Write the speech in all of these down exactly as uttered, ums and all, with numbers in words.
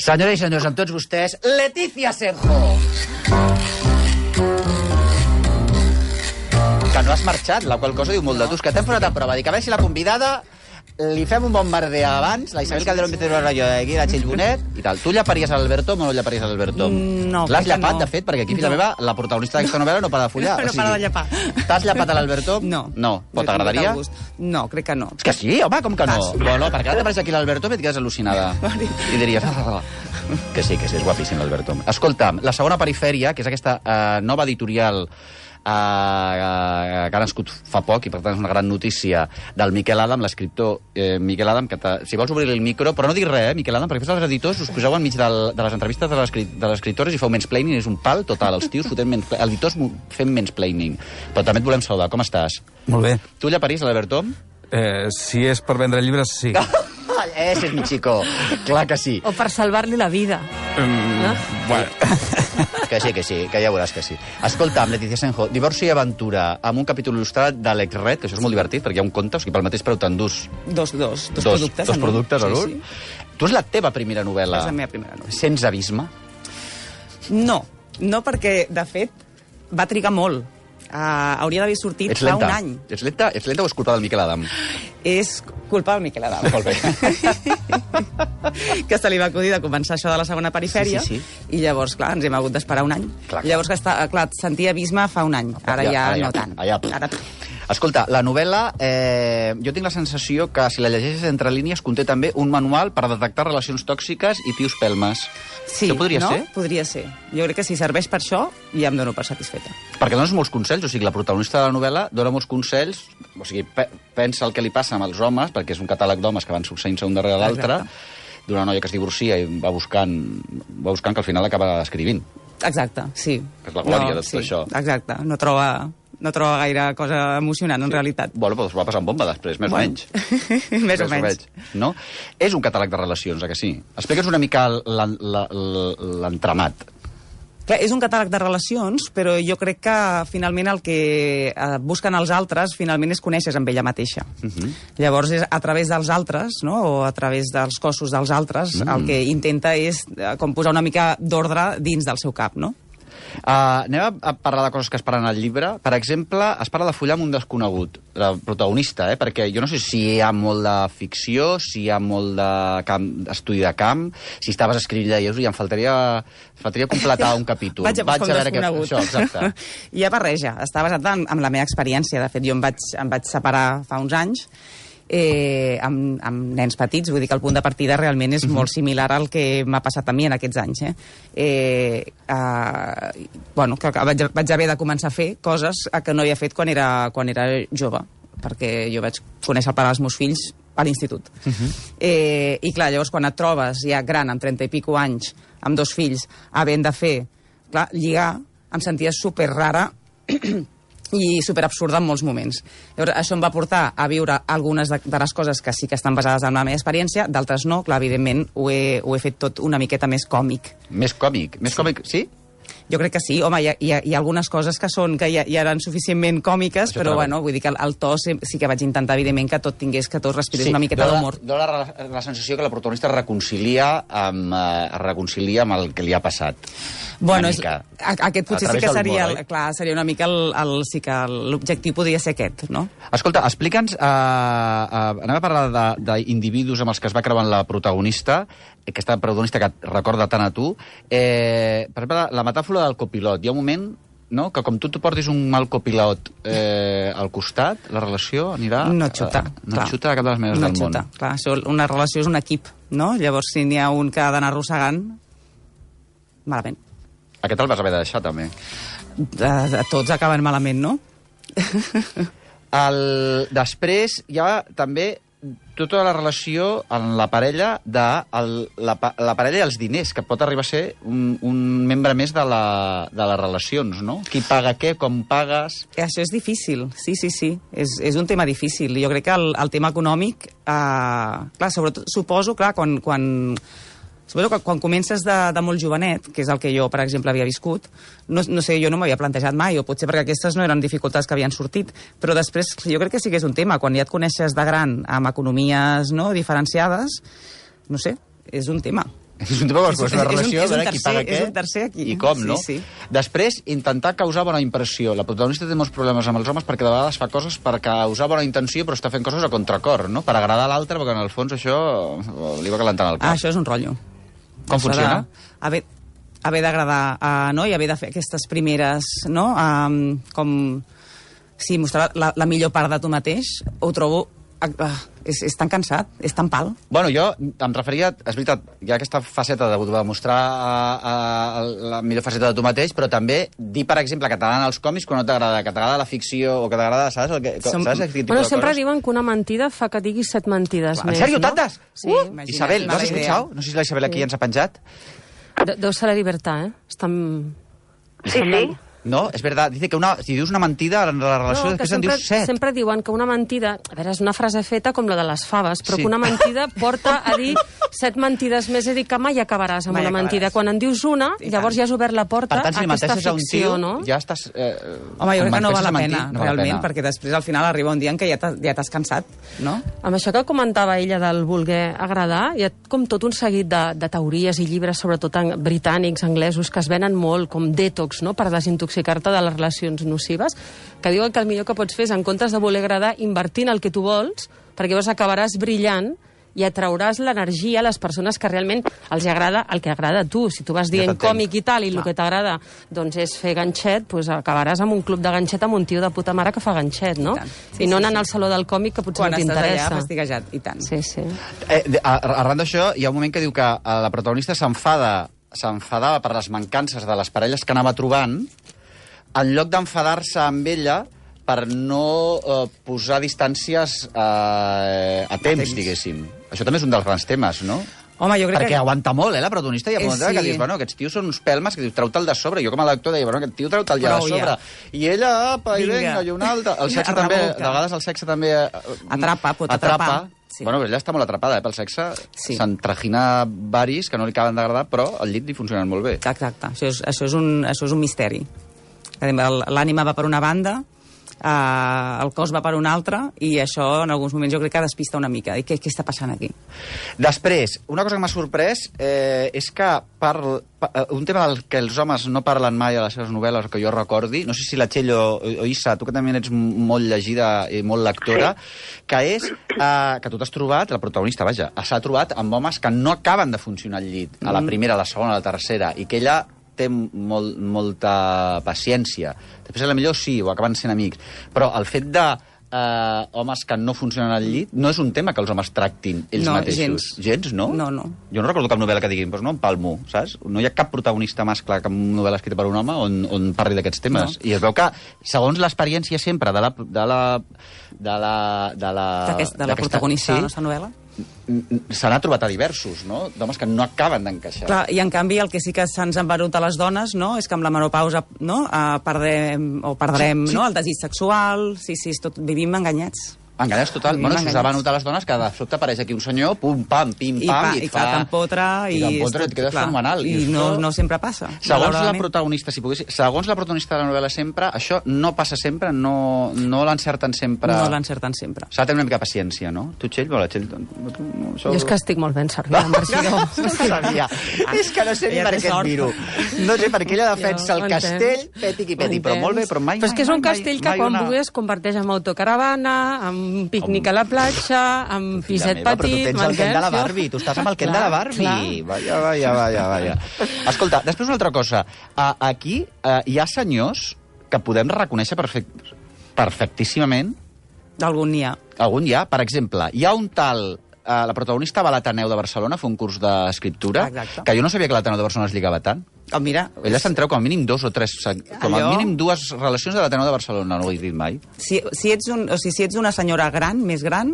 Senyores i senyors, amb tots vostès, Leticia Senjo. Que no has marxat, la qual cosa diu molt de tu. És que t'hem posat a prova. Dic, a veure si la convidada li fem un bombarder abans, la Isabel Calderón Vicente Rayo d'aquí, la Txell Bonet, i tal. Tu llaparies a l'Alberto o no llaparies a l'Alberto? No, l'has llapat, no. de fet, perquè aquí, filla no. meva, la protagonista d'aquesta novel·la no para de follar. No, no para de llapar. T'has llapat a l'Alberto? No. No. Però t'agradaria? No, crec que no. És que sí, home, com que no? Bueno, perquè ara t'apareix aquí l'Alberto i et quedes al·lucinada. I diries... Que sí, que sí, és guapíssim l'Alberto. Escolta'm, la segona perifèria, que és aquesta uh, nova editorial uh, uh, que ha nascut fa poc, i per tant és una gran notícia, del Miquel Adam, l'escriptor eh, Miquel Adam, que si vols obrir el micro, però no dic res, eh, Miquel Adam, perquè després els editors us poseu enmig del, de les entrevistes de les escritores i feu mansplaining, és un pal total, els tios fotent mansplaining, els editors fent mansplaining. Però també et volem saludar, com estàs? Molt bé. Tu llaparies l'Alberto? Eh, si és per vendre llibres, sí. Ese és mi chico, clar que sí. O per salvar-li la vida. Mm, no? Bueno. Que sí, que sí, que ja veuràs que sí. Escolta'm, Leticia Senjo, Divorci i aventura, amb un capítol il·lustrat de l'Ex-Red, que això és molt divertit, perquè hi ha un conte, o sigui, pel mateix preu t'endús... Dos, dos, dos, dos productes. Dos productes, sí, sí, sí. Tu és la teva primera novel·la. És la meva primera novel·la. Sents abisme? No, no perquè, de fet, va trigar molt. Uh, hauria d'haver sortit ets fa lenta. un any. Ets lenta? Ets lenta o és culpa del Miquel Adam? És culpa del Miquel Adam. Molt bé. Que se li va acudir de començar això de la segona perifèria, sí, sí, sí. I llavors, clar, ens hem hagut d'esperar un any. Clar, clar. Llavors, que està, clar, sentia abisme fa un any. Ara ja, ja, ara no ja, tant. Allà. Ara... Escolta, la novel·la, eh, jo tinc la sensació que si la llegeixes entre línies conté també un manual per detectar relacions tòxiques i tios pelmes. Sí, això podria no? ser? Podria ser. Jo crec que si serveix per això, ja em dono per satisfeta. Perquè dones molts consells, o sigui, la protagonista de la novel·la dona molts consells, o sigui, pe pensa el que li passa amb els homes, perquè és un catàleg d'homes que van succeint-se un darrere l'altre, d'una noia que es divorcia i va buscant, va buscant que al final acaba escrivint. Exacte, sí. Que és la glòria no, de tot sí, això. Exacte, no troba... no troba gaire cosa emocionant, en sí. realitat. Bueno, però es va passar en bomba després, més bueno. o menys. més, més o menys. No? És un catàleg de relacions, eh, que sí? Explica'ns una mica l'entramat. Clar, és un catàleg de relacions, però jo crec que finalment el que eh, busquen els altres finalment és conèixer amb ella mateixa. Uh -huh. Llavors, és a través dels altres, no? O a través dels cossos dels altres, uh -huh. el que intenta és eh, com posar una mica d'ordre dins del seu cap, no? Uh, anem a, a parlar de coses que es parlen al llibre. Per exemple, es parla de follar amb un desconegut, la protagonista, eh? Perquè jo no sé si hi ha molt de ficció, si hi ha molt de camp, estudi de camp, si estaves escrivint lleus i em faltaria, faltaria completar un capítol. Vaig a buscar un desconegut. Que... Això, exacte. Hi ha barreja. Està basat en, en la meva experiència. De fet, jo em vaig, em vaig separar fa uns anys Eh, amb, amb nens petits, vull dir que el punt de partida realment és uh-huh. molt similar al que m'ha passat a mi en aquests anys. Eh? Eh, eh, bueno, que vaig, vaig haver de començar a fer coses que no havia fet quan era, quan era jove, perquè jo vaig conèixer el pare dels meus fills a l'institut. Uh-huh. eh, I clar, llavors quan et trobes ja gran, amb trenta i pico anys, amb dos fills, havent de fer, clar, lligar, em sentia super rara i superabsurda en molts moments. Llavors, això em va portar a viure algunes de, de les coses que sí que estan basades en la meva experiència, d'altres no, clar, evidentment ho he, ho he fet tot una miqueta més còmic. Més còmic? Més sí. còmic, sí? Jo crec que sí, home, hi ha, hi ha, hi ha algunes coses que són que ja, ja eren suficientment còmiques, això però bueno, vull dir que el, el to sí, sí que vaig intentar, evidentment, que tot tingués, que tot respirés sí, una miqueta d'humor. Sí, dona la, la sensació que la protagonista es reconcilia amb, eh, es reconcilia amb el que li ha passat. Bueno, és, a, aquest potser sí que seria, el, clar, seria una mica el, el, sí que l'objectiu podria ser aquest, no? Escolta, explica'ns, uh, uh, anem a parlar d'individus amb els que es va creuant la protagonista, aquesta protagonista que et recorda tant a tu. Eh, per exemple, la metàfora del copilot. Hi ha un moment, no?, que com tu t'ho portis un mal copilot eh, al costat, la relació anirà... No et xuta. Eh, no et xuta de cap de les maneres no del xuta, món. Clar, això, una relació és un equip, no? Llavors, si n'hi ha un que ha d'anar arrossegant, malament. Aquest el vas haver de deixar, també. De, de tots acaben malament, no? El, després hi ha també tota la relació en la parella de el, la, la parella i els diners, que pot arribar a ser un, un membre més de, la, de les relacions, no? Qui paga què, com pagues... Això és difícil, sí, sí, sí. És, és un tema difícil. Jo crec que el, el tema econòmic... Eh, clar, sobretot, suposo, clar, quan... quan Suposo que quan comences de, de molt jovenet, que és el que jo, per exemple, havia viscut, no, no sé, jo no m'havia plantejat mai, o potser perquè aquestes no eren dificultats que havien sortit, però després jo crec que sí que és un tema. Quan ja et coneixes de gran amb economies no, diferenciades, no sé, és un tema. És un tema de la relació, és un, a veure qui paga què és un tercer aquí. i com, sí, no? Sí. Després, intentar causar bona impressió. La protagonista té molts problemes amb els homes perquè de vegades fa coses per causar bona intenció, però està fent coses a contracor, no? Per agradar a l'altre, perquè en el fons això li va calentant el cap. Ah, això és un rotllo. Com això funciona? De, haver haver d'agradar, uh, no? I haver de fer aquestes primeres, no? Um, com... Sí, mostrar la, la millor part de tu mateix, ho trobo... Uh, és, és tan cansat, és tan pal. Bueno, jo em referia, és veritat, hi ha aquesta faceta de demostrar a, a, la millor faceta de tu mateix, però també dir, per exemple, que t'agraden els còmics quan no t'agrada, que t'agrada la ficció o que t'agrada, saps? El que, Som... saps aquest tipus Bueno, de sempre coses? diuen que una mentida fa que diguis set mentides En més, sèrio, no? tantes? Sí, Uh, imagina't, Isabel, ¿lo has mala idea. escuchado? No sé si la Isabel aquí ens ha penjat. De, deu ser la llibertat, eh? Estan... Sí, sí. No, és veritat. Dice que una, si dius una mentida en la relació, No, que després en sempre, dius set. sempre diuen que una mentida... A veure, és una frase feta com la de les faves, però Sí. que una mentida porta a dir set mentides més, és a dir, que mai acabaràs amb Mai una mentida. acabaràs. Quan en dius una, I llavors tant. ja has obert la porta Per tant, si a li aquesta menteixes a un ficció, tio, no? ja estàs... Eh, Home, jo crec que no val la menteixes pena, a mentir, no val la realment, pena. perquè després al final arriba un dia en què ja t'ha- ja t'has cansat, no? Amb això que comentava ella del voler agradar, hi ha com tot un seguit de, de teories i llibres, sobretot en, britànics, anglesos, que es venen molt com detox, no?, per desintoxicar-te de les relacions nocives, que diuen que el millor que pots fer és, en comptes de voler agradar, invertir en el que tu vols, perquè llavors acabaràs brillant i atrauràs l'energia a les persones que realment els agrada el que agrada a tu. Si tu vas dient t'entenc. còmic i tal, i el que t'agrada doncs és fer ganxet, doncs acabaràs amb un club de ganxet amb un tio de puta mare que fa ganxet, no? I tant. I, Sí, no sí, anant sí. al saló del còmic, que potser Quan no estàs allà t'interessa. fastiguejat, i tant. Sí, sí. Eh, de- a- arran d'això, hi ha un moment que diu que eh, la protagonista s'enfada s'enfadava per les mancances de les parelles que anava trobant, en lloc d'enfadar-se amb ella per no eh, posar distàncies eh, a temps, temps. diguéssim. Això també és un dels grans temes, no? Home, jo crec Perquè que... aguanta molt, eh, la protagonista, i a Eh, moment que sí. dius, bueno, aquests tios són uns pelmes, que dius, treu-te'l de sobre. Jo com a lector deia, bueno, aquest tio treu-te'l ja de Prou, sobre. ja. I ella, apa, i Vinga. vinga, i una altra. El sexe Revolta. també, de vegades el sexe també... eh, Atrapa, pot atrapa. atrapar. Sí. Bueno, però ella està molt atrapada, eh, pel sexe. Sí. Se'n tragina varis que no li acaben d'agradar, però al llit li funcionen molt bé. Exacte, això és, això és, un, això és un misteri. El- L'ànima va per una banda, eh, el cos va per una altra, i això en alguns moments jo crec que despista una mica. I què, què està passant aquí? Després, una cosa que m'ha sorprès eh, és que parl, pa, eh, un tema del que els homes no parlen mai a les seves novel·les, que jo recordi, no sé si la Txell o, o Issa, tu que també ets molt llegida i molt lectora, que és eh, que tu t'has trobat, la protagonista, vaja, s'ha trobat amb homes que no acaben de funcionar al llit, a la primera, a la segona, a la tercera, i que ella té molt, molta paciència. Després, a la millor sí, o acaben sent amics, però el fet de eh, homes que no funcionen al llit no és un tema que els homes tractin ells No, mateixos. gens. Gens, no? No, no. Jo no recordo cap novel·la que diguin, doncs no, em palmo, saps? No hi ha cap protagonista mascle, cap novel·la escrita per un home on, on parli d'aquests temes. No. I es veu que, segons l'experiència sempre de la... De la de la, de la, D'aquest- de la d'aquesta- protagonista de la sí, nostra novel·la? se n'ha trobat a diversos, no? D'homes que no acaben d'encaixar. Clar, i en canvi el que sí que se'ns ha embarut a les dones, no?, és que amb la menopausa, no?, eh, perdrem, o perdrem, Sí, sí. no?, el desig sexual, sí, sí, és tot, vivim enganyats. Enganyats total. Vivim Bueno, s'us ha enganyats. venut a les dones que de sobte apareix aquí un senyor, pum, pam, pim, I, pam, pa, i et i fa... clar, t'empotra, i, I t'empotra, és et quedes clar, fenomenal. I Dius, no, "Oh". no sempre passa. Segons la malauradament. protagonista, si pogués... Segons la protagonista de la novel·la sempre, això no passa sempre, no, no l'encerten sempre... No l'encerten sempre. S'ha de tenir una mica de paciència, no? Tu, Txell, bueno, Txell... Tu, tu, no, això... Jo és que estic molt ben servida, Marcidor. No sabia. És que no sé ni Ella per té què et sort. miro. No sé per què ella defensa Jo el ho castell, entenc. peti qui Ho peti, però entens. molt bé, però mai... Però és que és un mai, castell que mai quan una... vulgui es converteix en autocaravana, en pícnic a la platja, en Filla piset meva, però tu petit, tens el Ken de la m'entens? Barbie, tu estàs amb el Ken Clar, de la Barbie. clar. Vaja, vaja, vaja, vaja. Escolta, després una altra cosa. Uh, aquí uh, hi ha senyors que podem reconèixer perfect... perfectíssimament. D'algun n'hi ha. Algun hi ha. Per exemple, hi ha un tal... Uh, la protagonista va a l'Ateneu de Barcelona a fer un curs d'escriptura, Exacte. que jo no sabia que l'Ateneu de Barcelona es lligava tant. Oh, mira, Ella se'n treu com a mínim dos o tres, com a Allò- mínim dues relacions de l'Ateneu de Barcelona, no ho he dit mai. si, si, ets un, o sigui, si ets una senyora gran, més gran,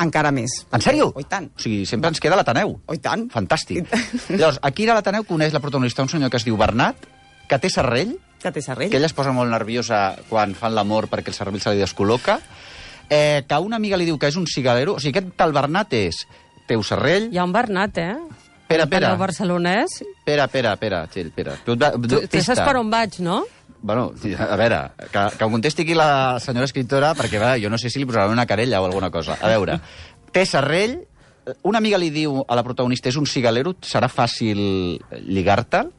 encara més. En sèrio? Oh, i tant. O sigui, sempre ens queda l'Ateneu. Oh, i tant. Fantàstic. I tant. Llavors, aquí a l'Ateneu coneix la protagonista un senyor que es diu Bernat, que té serrell, Que té serrell. que ella es posa molt nerviosa quan fan l'amor perquè el cervell se li descol·loca, eh, que una amiga li diu que és un cigalero. O sigui, aquest tal Bernat és teu serrell... Hi ha un Bernat, eh? Espera, espera. El barcelonès. Espera, espera, espera, Txell, espera. Tu, Tu, tu saps per on vaig, no? Bueno, a veure, que, que ho contesti aquí la senyora escriptora, perquè va, jo no sé si li posaran una querella o alguna cosa. A veure, té serrell, una amiga li diu a la protagonista, és un cigalero, serà fàcil lligar-te'l.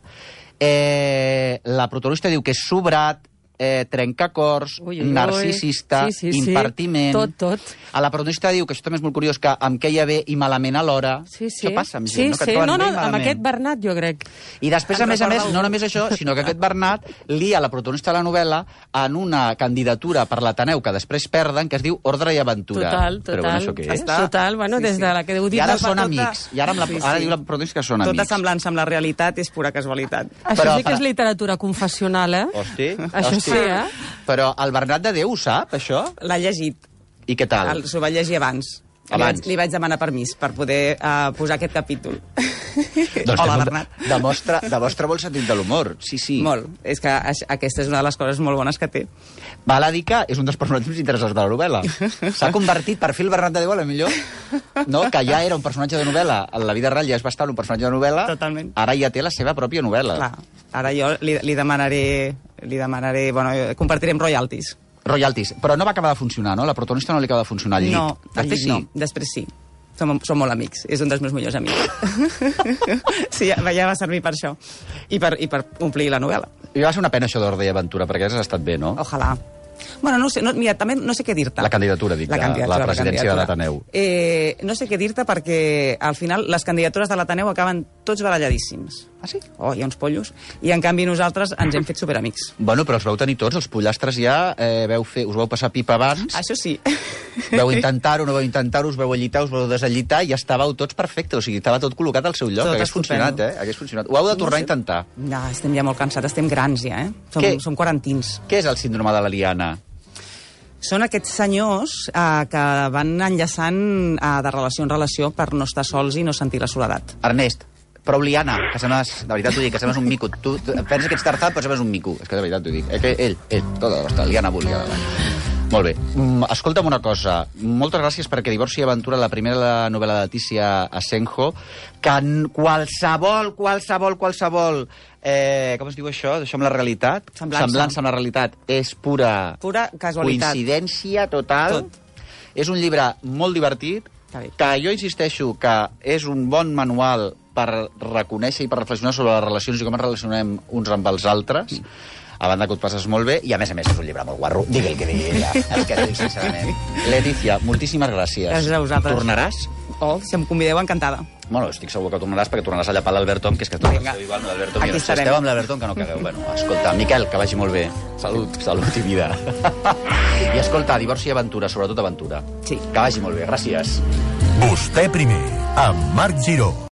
Eh, la protagonista diu que és sobrat, eh, trencacors, Ui, ui, ui. narcisista, Sí, sí, sí. impertiment... Tot, tot. A la protagonista diu, que això també és molt curiós, que em queia bé i malament alhora. Sí, sí. Això passa amb sí, gent, no? Que sí. et troben No, no, bé i amb malament. aquest Bernat, jo crec. I després, a Em més a més, recorda no un- només això, sinó que aquest Bernat lia la protagonista de la novel·la en una candidatura per l'Ateneu que després perden, que es diu Ordre i Aventura. Total, Però bueno, total. això què és? Està- Total, bueno, Sí, des sí. de la que heu dit... I ara del- són tota- amics. I ara, amb la, Sí, ara sí. diu la protagonista que són Tota amics. semblança amb la realitat és pura casualitat. Això Però sí que per- és literatura confessional, eh? Hosti, Això hosti. sí, eh? Però el Bernat de Déu ho sap, això? L'ha llegit. I què tal? El- S'ho va llegir abans. Li Abans. vaig, li vaig demanar permís per poder uh, posar aquest capítol. Doncs Hola, que Bernat. Demostra, demostra molt sentit de l'humor. Sí, sí. Molt. És que aix- aquesta és una de les coses molt bones que té. Val a dir que és un dels personatges més interessants de la novel·la. S'ha convertit, per fi el Bernat de Déu, a la millor, no? Que ja era un personatge de novel·la. En la vida real ja és bastant un personatge de novel·la. Totalment. Ara ja té la seva pròpia novel·la. Clar, ara jo li, li demanaré... Li demanaré... Bueno, compartirem royalties. Royalties. Però no va acabar de funcionar, no? La protagonista no li acaba de funcionar al llit. No, al Després llit no. Després sí. Som, som molt amics. És un dels meus millors amics. sí, ja, ja va servir per això. I per, i per omplir la novel·la. I va ser una pena això d'Ordre i Aventura, perquè has estat bé, no? Ojalà. Bueno, no sé, no, mira, també no sé què dir-te. La candidatura, dic, de la presidència de l'Ateneu. Eh, no sé què dir-te perquè al final les candidatures de l'Ateneu acaben tots baralladíssims. Ah, sí? Oh, hi ha uns pollos. I en canvi nosaltres ens hem fet superamics. Bueno, però els vau tenir tots, els pollastres ja, eh, veu fer, us vau passar pipa abans, Això sí. veu intentar-ho, no vau intentar-ho, us veu allitar, us vau desallitar i ja estàveu tots perfectes, o sigui, estava tot col·locat al seu lloc, Tot hagués estupendo. funcionat, eh? Hagués funcionat. Ho heu de tornar a intentar. No, estem ja molt cansats, estem grans ja, eh? Som, Què? som quarantins. Què és el síndrome de la liana? Són aquests senyors eh, que van enllaçant eh, de relació en relació per no estar sols i no sentir la soledat. Ernest, prou liana, que sembles, de veritat t'ho dic, que sembles un mico. Tu, tu penses que ets tartat, però sembles un mico. És que de veritat t'ho dic. Eh, que ell, ell, tota la liana volia. Molt bé. Mm, escolta'm una cosa. Moltes gràcies perquè Divorci i Aventura, la primera novel·la de Letícia Asenjo, que en qualsevol, qualsevol, qualsevol... Eh, com es diu això? Això amb la realitat? Semblança. Semblança amb la realitat. És pura... Pura casualitat. Coincidència total. Tot. És un llibre molt divertit, Està bé. que jo insisteixo que és un bon manual per reconèixer i per reflexionar sobre les relacions i com ens relacionem uns amb els altres, a banda que ho et passes molt bé, i a més a més és un llibre molt guarro. Digui el que digui ella, el que digui sincerament. Letícia, moltíssimes gràcies. Gràcies a vosaltres. Tornaràs? Oh, si em convideu, encantada. Bueno, estic segur que tornaràs perquè tornaràs a llapar l'Albert Tom, que és que esteu Vinga. igual amb l'Albert Tom. Aquí I si estarem. esteu amb l'Albert Tom, que no cagueu. Bueno, escolta, Miquel, que vagi molt bé. Salut, salut i vida. I escolta, Divorci i Aventura, sobretot Aventura. Sí. Que vagi molt bé, gràcies. Vostè primer, amb Marc Giró.